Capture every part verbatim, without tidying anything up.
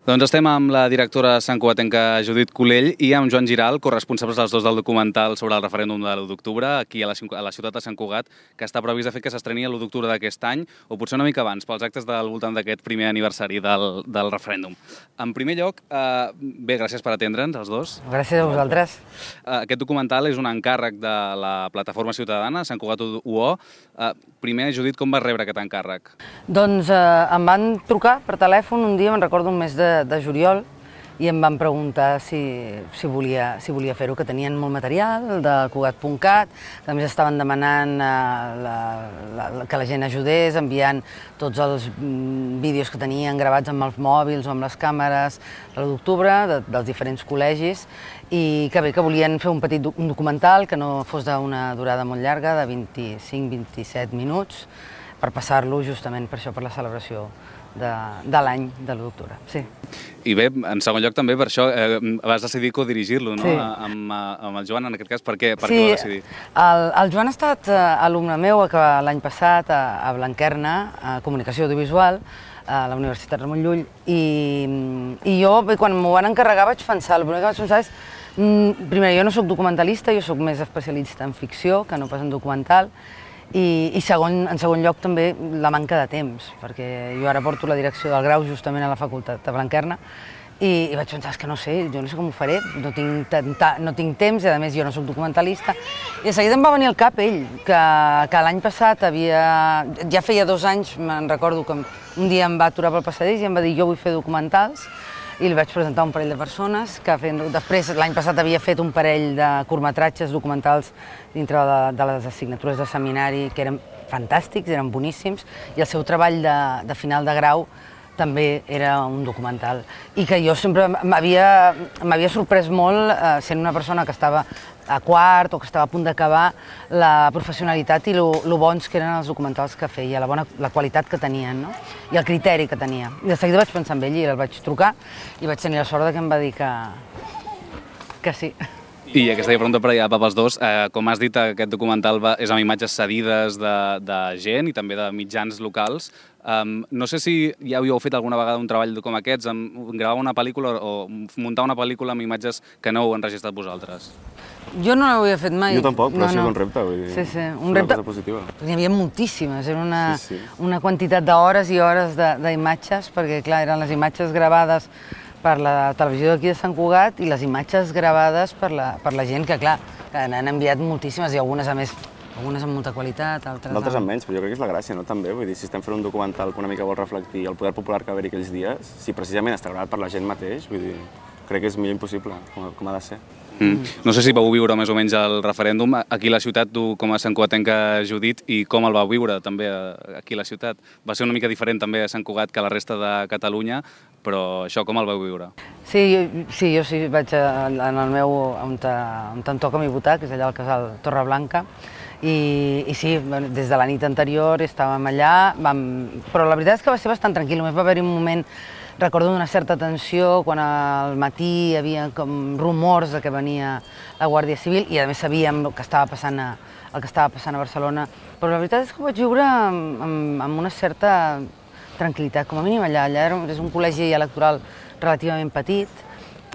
Doncs estem amb la directora santcugatenca Judit Culell i amb Joan Giral, corresponsables els dos del documental sobre el referèndum de l'u d'octubre, aquí a la, a la ciutat de Sant Cugat, que està previst de fet que s'estreni l'u d'octubre d'aquest any, o potser una mica abans, pels actes del voltant d'aquest primer aniversari del, del referèndum. En primer lloc, eh, bé, gràcies per atendre'ns, els dos. Gràcies a vosaltres. Eh, aquest documental és un encàrrec de la plataforma ciutadana, Sant Cugat U O. Eh, primer, Judit, com vas rebre aquest encàrrec? Doncs eh, em van trucar per telèfon un dia, me'n recordo un mes de de juliol, i em van preguntar si, si volia, si volia fer-ho, que tenien molt material de Cugat punt cat, que a més estaven demanant eh, la, la, que la gent ajudés, enviant tots els mm, vídeos que tenien gravats amb els mòbils o amb les càmeres a l'u d'octubre, de, dels diferents col·legis, i que bé, que volien fer un petit un documental que no fos d'una durada molt llarga, de vint-i-cinc a vint-i-set minuts, per passar-lo justament per això, per la celebració de, de l'any de l'u d'octubre, sí. I bé, en segon lloc també per això eh, vas decidir codirigir-lo, no? Sí. Amb, amb el Joan, en aquest cas, per què, per sí, què vas decidir? El, el Joan ha estat eh, alumne meu l'any passat a, a Blanquerna, a Comunicació Audiovisual, a la Universitat Ramon Llull, i, i jo, bé, quan m'ho van encarregar, vaig pensar, el primer que vaig pensar és, mm, primer, jo no soc documentalista, jo soc més especialista en ficció que no pas en documental, i, i segon, en segon lloc també la manca de temps, perquè jo ara porto la direcció del grau justament a la facultat de Blanquerna, i, i vaig pensar, és que no sé, jo no sé com ho faré, no tinc, tanta, no tinc temps, i a més jo no soc documentalista, i de seguida em va venir al cap ell, que, que l'any passat havia, ja feia dos anys, me'n recordo que un dia em va aturar pel passadís i em va dir jo vull fer documentals, i li vaig presentar un parell de persones que feien, després l'any passat havia fet un parell de curtmetratges documentals dintre de, de les assignatures de seminari que eren fantàstics, eren boníssims, i el seu treball de, de final de grau també era un documental, i que jo sempre m'havia sorprès molt, eh, sent una persona que estava a quart o que estava a punt d'acabar, la professionalitat i lo bons que eren els documentals que feia, la bona la qualitat que tenien, no? I el criteri que tenia. I de seguida vaig pensar en ell i el vaig trucar i vaig tenir la sort que em va dir que, que sí. I aquesta pregunta per allà pels dos, eh, com has dit, aquest documental va, és amb imatges cedides de, de gent i també de mitjans locals. Um, no sé si ja havíeu fet alguna vegada un treball com aquests, amb gravar una pel·lícula o muntar una pel·lícula amb imatges que no heu enregistrat vosaltres. Jo no l'havia fet mai. Jo tampoc, però no, ha sigut no. un repte, vull dir, sí, sí. Un una repte... cosa positiva. N'hi havia moltíssimes, era una, sí, sí. una quantitat d'hores i hores d'imatges, perquè clar, eren les imatges gravades per la televisió d'aquí de Sant Cugat i les imatges gravades per la, per la gent que, clar, que n'han enviat moltíssimes i algunes, a més, algunes amb molta qualitat, altres... D'altres amb menys, però jo crec que és la gràcia, no? També, vull dir, si estem fent un documental que una mica vol reflectir el poder popular que va haver-hi aquells dies, si precisament està gravat per la gent mateix, vull dir, crec que és millor impossible, com, com ha de ser. Mm. No sé si vau viure més o menys el referèndum aquí a la ciutat, tu com a santcugatenca Judit, i com el vau viure també aquí a la ciutat. Va ser una mica diferent també a Sant Cugat que a la resta de Catalunya, però això com el vau viure? Sí, jo, sí, jo sí vaig a, en el meu, on, te, on em toca a mi votar, que és allà al casal Torreblanca, i, i sí, des de la nit anterior estàvem allà, vam, però la veritat és que va ser bastant tranquil, només va haver-hi un moment. Recordo una certa tensió quan al matí hi havia com rumors de que venia la Guàrdia Civil i a més sabíem el que estava passant a, el que estava passant a Barcelona, però la veritat és que ho vaig viure amb, amb, amb una certa tranquil·litat, com a mínim allà. Allà és un col·legi electoral relativament petit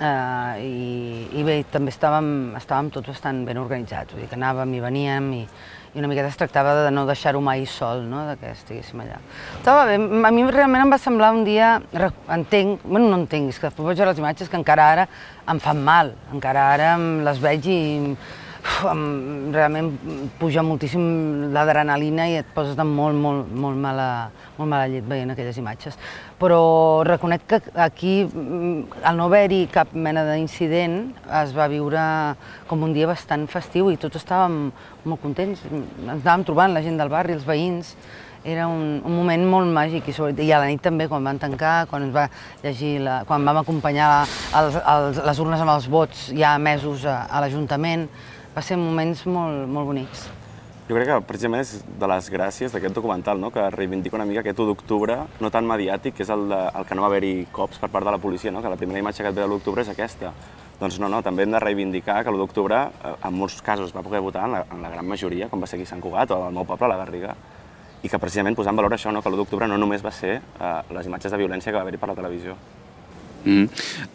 eh, i, i bé, també estàvem, estàvem tots bastant ben organitzats, vull dir que anàvem i veníem i, i una miqueta es tractava de no deixar-ho mai sol, no? De que estiguéssim allà. Estava bé, a mi realment em va semblar un dia, entenc, bueno, no entenc, és que després vaig veure les imatges que encara ara em fan mal, encara ara les veig i uf, em, realment puja moltíssim l'adrenalina i et poses de molt, molt, molt mala, molt mala llet veient aquelles imatges. Però reconec que aquí, al no haver-hi cap mena d'incident, es va viure com un dia bastant festiu i tots estàvem molt contents. Ens anàvem trobant la gent del barri, els veïns. Era un, un moment molt màgic i, sobre, i a la nit també, quan van tancar, quan, ens va llegir la, quan vam acompanyar els, els, les urnes amb els vots ja emesos a, a l'Ajuntament, va ser moments molt, molt bonics. Jo crec que precisament és de les gràcies d'aquest documental, no? Que reivindica una mica aquest u d'octubre no tan mediàtic, que és el, de, el que no va haver-hi cops per part de la policia, no? Que la primera imatge que et ve de l'u d'octubre és aquesta. Doncs no, no, també hem de reivindicar que l'u d'octubre en molts casos va poder votar en la, en la gran majoria, com va ser aquí a Sant Cugat o al meu poble, a la Garriga, i que precisament posant en valor això, no? Que l'u d'octubre no només va ser eh, les imatges de violència que va haver-hi per la televisió. Mm.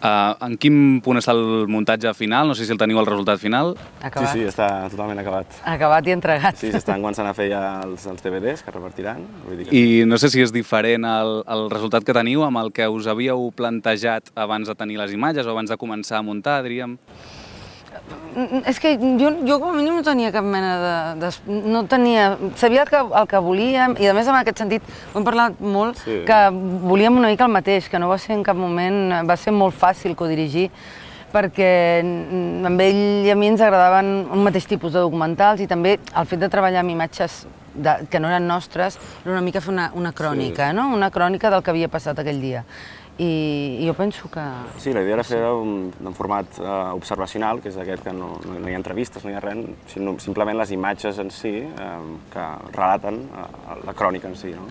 Uh, en quin punt està el muntatge final? No sé si el teniu el resultat final. Acabat. Sí, sí, està totalment acabat. Acabat i entregat. Sí, s'estan començant a fer ja els, els D V Ds que repartiran. Vull dir que... I no sé si és diferent el, el resultat que teniu amb el que us havíeu plantejat abans de tenir les imatges o abans de començar a muntar, diríem. És que jo, jo com a mínim no tenia cap mena de... de no tenia... Sabia el que, el que volíem i a més en aquest sentit ho hem parlat molt, Sí. que volíem una mica el mateix, que no va ser en cap moment... Va ser molt fàcil codirigir perquè amb ell i a mi ens agradaven un mateix tipus de documentals i també el fet de treballar amb imatges de, que no eren nostres era una mica fer una, una crònica, Sí. no? Una crònica del que havia passat aquell dia. I, i jo penso que... Sí, la idea era fer un, un format uh, observacional, que és aquest que no, no, no hi ha entrevistes, no hi ha res, sinó simplement les imatges en si uh, que relaten uh, la crònica en si, no?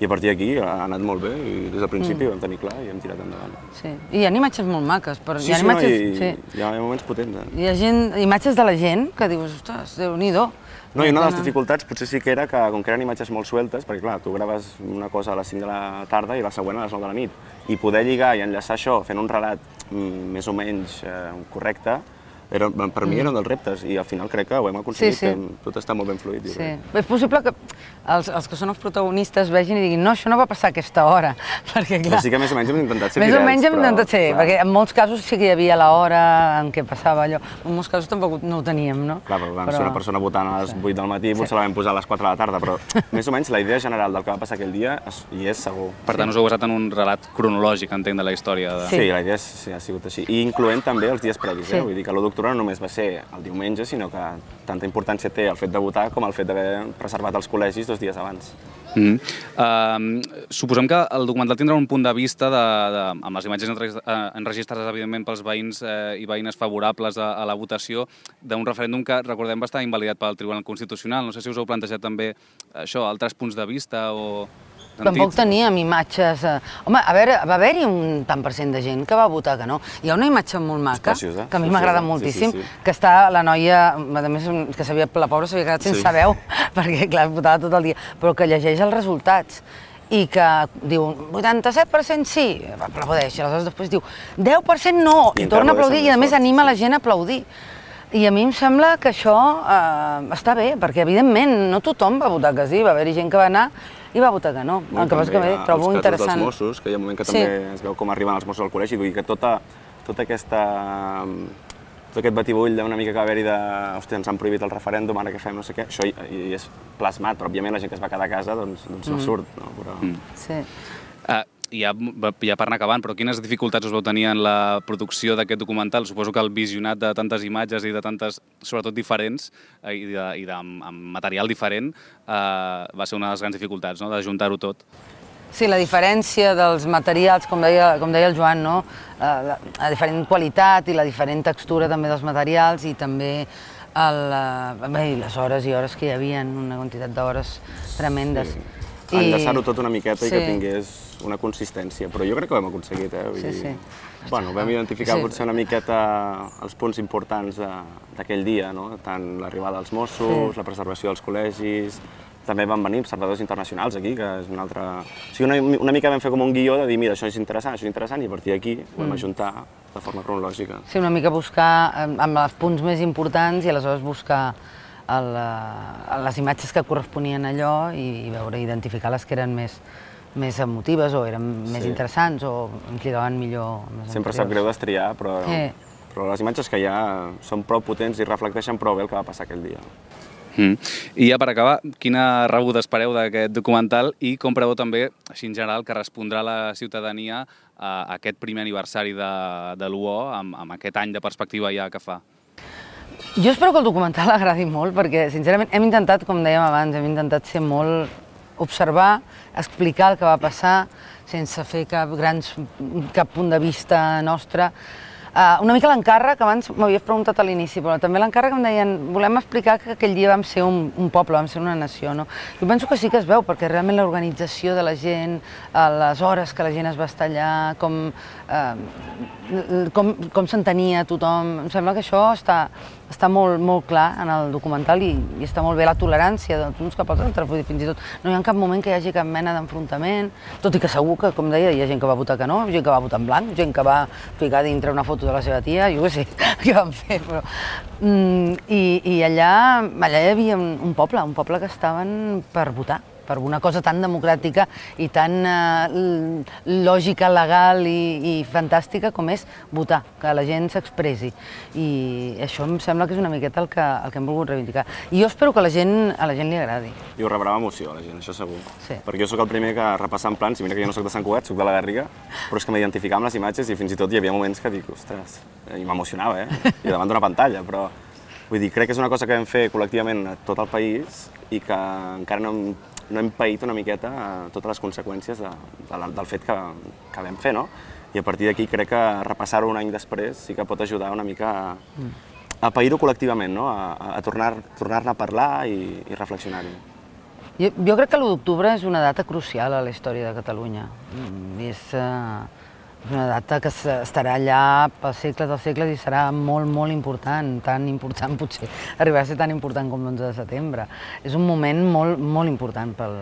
I a partir d'aquí ha anat molt bé i des del principi mm. ho vam tenir clar i hem tirat endavant. Sí, i hi ha imatges molt maques. Però Sí, hi ha sí, imatges, no, i, sí. hi ha moments potents. Eh? Hi ha gent, imatges de la gent que dius, ostres, Déu-n'hi-do. No, i una de les dificultats potser sí que era que, com que eren imatges molt sueltes, perquè clar, tu graves una cosa a les cinc de la tarda i la següent a les nou de la nit, i poder lligar i enllaçar això fent un relat mm, més o menys eh, correcte, era, per mi era un dels reptes i al final crec que ho hem aconseguit, Sí, sí. tot està molt ben fluid. Sí. És possible que els, els que són els protagonistes vegin i diguin no, això no va passar a aquesta hora, perquè clar... Però sí que més o menys hem intentat ser Més fidels, o menys hem però, intentat ser, clar. perquè en molts casos sí que hi havia l'hora en què passava allò, en molts casos tampoc no ho teníem, no? Clar, però vam ser una persona votant a les vuit del matí, potser la vam posar a les quatre de la tarda, però més o menys la idea general del que va passar aquell dia és- hi és segur. Per tant, us heu basat en un relat cronològic, entenc, de la història. De... Sí. Sí, la idea és, sí, ha sigut així. I incloent també els dies previs, Sí. eh? Vull dir que l'u d'octubre no només va ser el diumenge, sinó que tanta importància té el fet de votar com el fet d'haver preservat els col·legis dos dies abans. Mm. Uh, suposem que el documental tindrà un punt de vista de, de, amb les imatges enregis- eh, enregistrades, evidentment, pels veïns eh, i veïnes favorables a, a la votació d'un referèndum que, recordem, va estar invalidat pel Tribunal Constitucional. No sé si us heu plantejat també això, altres punts de vista o... Tampoc teníem imatges... eh, Home, a veure, va haver-hi un tant per cent de gent que va votar que no. Hi ha una imatge molt maca, preciosa, que a mi preciosa. m'agrada Sí, moltíssim, sí, sí. que està la noia, a més, que sabia, la pobra s'havia quedat sense Sí. veu, perquè, clar, votava tot el dia, però que llegeix els resultats i que diu vuitanta-set per cent sí, aplaudeix, i aleshores després diu deu per cent no, I i encara torna a aplaudeixen aplaudir, i més a més fort, anima sí. la gent a aplaudir. I a mi em sembla que això eh, està bé, perquè evidentment no tothom va votar que sí, va haver-hi gent que va anar i va votar que no. El que passa que bé, trobo els interessant. casos dels Mossos, que hi ha un moment que Sí. també es veu com arriben els Mossos al col·legi, vull dir que tota, tota aquesta, tot aquest batibull d'una mica que va haver-hi de hòstia, ens han prohibit el referèndum, ara què fem, no sé què, això hi, hi és plasmat, però òbviament la gent que es va quedar a casa doncs, doncs no surt, no? Però... Mm. Sí. Uh, ja, ja per anar acabant, però quines dificultats us vau tenir en la producció d'aquest documental? Suposo que el visionat de tantes imatges i de tantes, sobretot diferents, eh, i, de, i de, amb, amb material diferent, uh, va ser una de les grans dificultats, no?, de juntar-ho tot. Sí, la diferència dels materials, com deia, com deia el Joan, no? Eh, la, la diferent qualitat i la diferent textura també dels materials i també el, eh, bé, les hores i hores que hi havia, una quantitat d'hores tremendes. Sí. Enllaçar-ho tot una miqueta Sí. i que tingués una consistència, però jo crec que ho hem aconseguit, eh? Vull Sí, dir... sí. Bueno, vam identificar Sí. potser una miqueta els punts importants de- d'aquell dia, no? Tant l'arribada dels Mossos, Sí. la preservació dels col·legis, també van venir observadors internacionals aquí, que és una altra... O sigui, una, una mica vam fer com un guió de dir, mira, això és interessant, això és interessant, i a partir d'aquí ho vam ajuntar de forma cronològica. Sí, una mica buscar eh, amb els punts més importants i aleshores buscar el, eh, les imatges que corresponien a allò i, i veure, identificar les que eren més, més emotives o eren més Sí. interessants o ens lligaven millor amb les Sempre sap anteriors. greu destriar, però, Sí. però les imatges que hi ha són prou potents i reflecteixen prou bé el que va passar aquell dia. Mm. I ja per acabar, quina rebuda espereu d'aquest documental i com preveu també, així en general, que respondrà la ciutadania a aquest primer aniversari de, de l'U O amb, amb aquest any de perspectiva ja que fa? Jo espero que el documental agradi molt perquè, sincerament, hem intentat, com dèiem abans, hem intentat ser molt... observar, explicar el que va passar sense fer cap, grans, cap punt de vista nostre. Uh, una mica l'encàrrec, abans m'havies preguntat a l'inici, però també l'encàrrec em deien, volem explicar que aquell dia vam ser un, un poble, vam ser una nació, no? Jo penso que sí que es veu, perquè realment l'organització de la gent, uh, les hores que la gent es va estar allà, com, uh, com, com s'entenia tothom, em sembla que això està, està molt, molt clar en el documental i, i està molt bé la tolerància d'uns cap als altres, vull dir, fins i tot no hi ha cap moment que hi hagi cap mena d'enfrontament, tot i que segur que, com deia, hi ha gent que va votar que no, gent que va votar en blanc, gent que va ficar dintre una foto de la seva tia, jo què sé, què van fer, però... Mm, i, I allà, allà hi havia un, un poble, un poble que estaven per votar, per una cosa tan democràtica i tan uh, lògica, legal i, i fantàstica com és votar, que la gent s'expressi. I això em sembla que és una miqueta el que, el que hem volgut reivindicar. I jo espero que a la gent, a la gent li agradi. I ho rebrà amb emoció, a la gent, això segur. Sí. Perquè jo sóc el primer que repassant plans, i mira que jo no sóc de Sant Cugat, sóc de la Garriga, però és que m'identificava amb les imatges i fins i tot hi havia moments que dic, ostres, i m'emocionava, eh? I davant d'una pantalla, però... Vull dir, crec que és una cosa que vam fer col·lectivament a tot el país i que encara no hem, no hem paït una miqueta totes les conseqüències de, de, del fet que, que vam fer, no? I a partir d'aquí crec que repassar-ho un any després sí que pot ajudar una mica a, a pair-ho col·lectivament, no? A, a tornar-ne tornar a parlar i, i reflexionar-hi. Jo, jo crec que l'u d'octubre és una data crucial a la història de Catalunya. És, uh, és una data que estarà allà pels segles dels segles i serà molt, molt important, tan important potser, arribarà a ser tan important com l'onze de setembre. És un moment molt, molt important pel,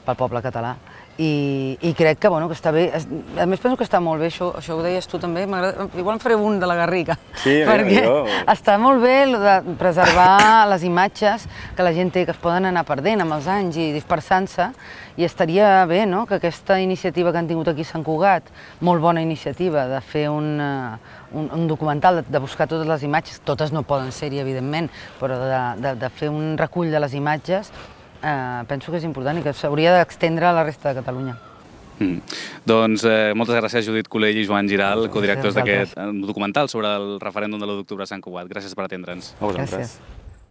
pel poble català. I, i crec que, bueno, que està bé, a més penso que està molt bé, això, això ho deies tu també, igual en faré un de la Garriga, sí, perquè jo. Està molt bé de preservar les imatges que la gent té, que es poden anar perdent amb els anys i dispersant-se, i estaria bé, no?, que aquesta iniciativa que han tingut aquí a Sant Cugat, molt bona iniciativa de fer un, un, un documental, de, de buscar totes les imatges, totes no poden ser-hi, evidentment, però de, de, de fer un recull de les imatges, Uh, penso que és important i que s'hauria d'extendre a la resta de Catalunya. Mm. Doncs eh, moltes gràcies Judit Culell i Joan Giral, codirectors d'aquest documental sobre el referèndum de l'u d'octubre a Sant Cugat. Gràcies per atendre'ns. A vosaltres. Gràcies.